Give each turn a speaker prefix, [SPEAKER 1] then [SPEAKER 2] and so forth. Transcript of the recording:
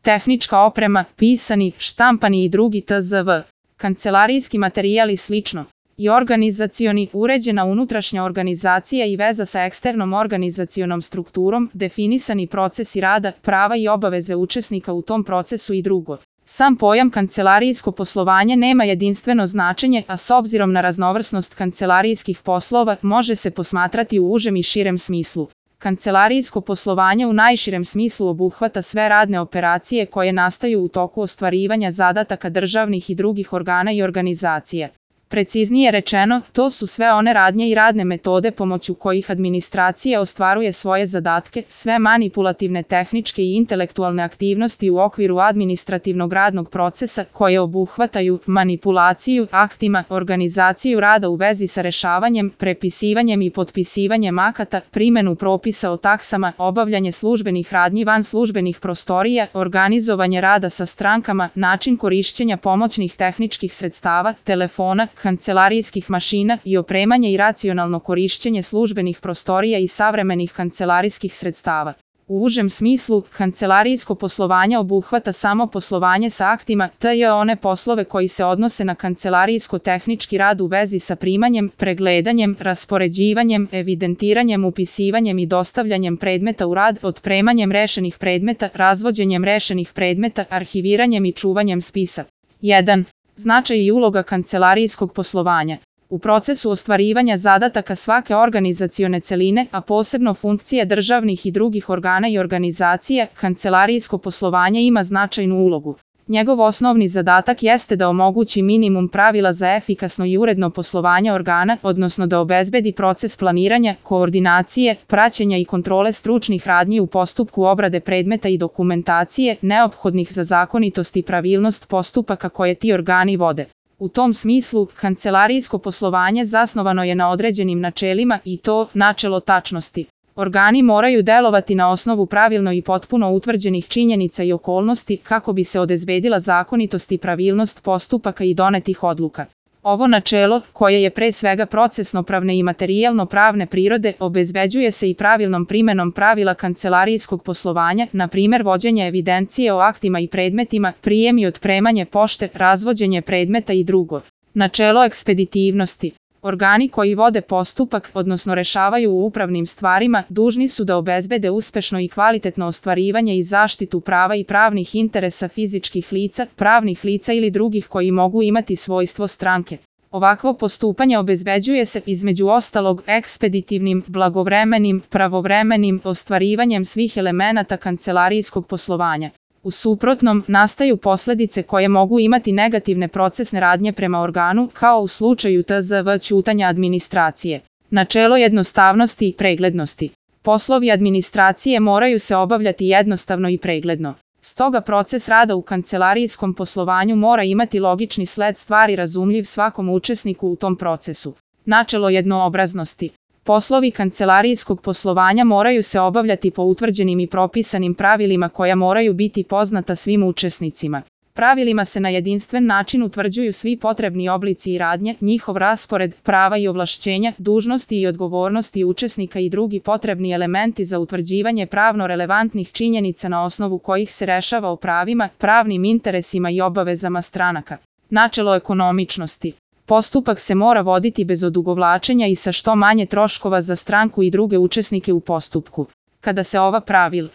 [SPEAKER 1] tehnička oprema, pisani, štampani i drugi tzv. Kancelarijski materijal i slično. I organizacioni, uređena unutrašnja organizacija i veza sa eksternom organizacionom strukturom, definisani procesi rada, prava i obaveze učesnika u tom procesu i drugo. Sam pojam kancelarijsko poslovanje nema jedinstveno značenje, a s obzirom na raznovrsnost kancelarijskih poslova može se posmatrati u užem i širem smislu. Kancelarijsko poslovanje u najširem smislu obuhvata sve radne operacije koje nastaju u toku ostvarivanja zadataka državnih i drugih organa i organizacija. Preciznije rečeno, to su sve one radnje i radne metode pomoću kojih administracija ostvaruje svoje zadatke, sve manipulativne tehničke i intelektualne aktivnosti u okviru administrativnog radnog procesa koje obuhvataju manipulaciju aktima, organizaciju rada u vezi sa rešavanjem, prepisivanjem i potpisivanjem akata, primenu propisa o taksama, obavljanje službenih radnji van službenih prostorija, organizovanje rada sa strankama, način korišćenja pomoćnih tehničkih sredstava, telefona, kancelarijskih mašina i opremanje i racionalno korišćenje službenih prostorija i savremenih kancelarijskih sredstava. U užem smislu, kancelarijsko poslovanje obuhvata samo poslovanje sa aktima, tj. one poslove koji se odnose na kancelarijsko-tehnički rad u vezi sa primanjem, pregledanjem, raspoređivanjem, evidentiranjem, upisivanjem i dostavljanjem predmeta u rad, otpremanjem rešenih predmeta, razvođenjem rešenih predmeta, arhiviranjem i čuvanjem spisa. 1. Značaj i uloga kancelarijskog poslovanja. U procesu ostvarivanja zadataka svake organizacione celine, a posebno funkcije državnih i drugih organa i organizacija, kancelarijsko poslovanje ima značajnu ulogu. Njegov osnovni zadatak jeste da omogući minimum pravila za efikasno i uredno poslovanje organa, odnosno da obezbedi proces planiranja, koordinacije, praćenja i kontrole stručnih radnji u postupku obrade predmeta i dokumentacije, neophodnih za zakonitost i pravilnost postupaka koje ti organi vode. U tom smislu, kancelarijsko poslovanje zasnovano je na određenim načelima i to načelo tačnosti. Organi moraju delovati na osnovu pravilno i potpuno utvrđenih činjenica i okolnosti kako bi se obezbedila zakonitost i pravilnost postupaka i donetih odluka. Ovo načelo, koje je pre svega procesno-pravne i materijalno-pravne prirode, obezbeđuje se i pravilnom primenom pravila kancelarijskog poslovanja, na primjer vođenje evidencije o aktima i predmetima, prijem i otpremanje pošte, razvođenje predmeta i drugo. Načelo ekspeditivnosti. Organi koji vode postupak, odnosno rešavaju u upravnim stvarima, dužni su da obezbede uspešno i kvalitetno ostvarivanje i zaštitu prava i pravnih interesa fizičkih lica, pravnih lica ili drugih koji mogu imati svojstvo stranke. Ovakvo postupanje obezbeđuje se, između ostalog, ekspeditivnim, blagovremenim, pravovremenim ostvarivanjem svih elemenata kancelarijskog poslovanja. U suprotnom, nastaju posledice koje mogu imati negativne procesne radnje prema organu, kao u slučaju tzv. Ćutanja administracije. Načelo jednostavnosti i preglednosti. Poslovi administracije moraju se obavljati jednostavno i pregledno. Stoga proces rada u kancelarijskom poslovanju mora imati logični sled stvari razumljiv svakom učesniku u tom procesu. Načelo jednoobraznosti. Poslovi kancelarijskog poslovanja moraju se obavljati po utvrđenim i propisanim pravilima koja moraju biti poznata svim učesnicima. Pravilima se na jedinstven način utvrđuju svi potrebni oblici i radnje, njihov raspored, prava i ovlašćenja, dužnosti i odgovornosti učesnika i drugi potrebni elementi za utvrđivanje pravno relevantnih činjenica na osnovu kojih se rešava o pravima, pravnim interesima i obavezama stranaka. Načelo ekonomičnosti. Postupak se mora voditi bez odugovlačenja i sa što manje troškova za stranku i druge učesnike u postupku. Kada se ova pravila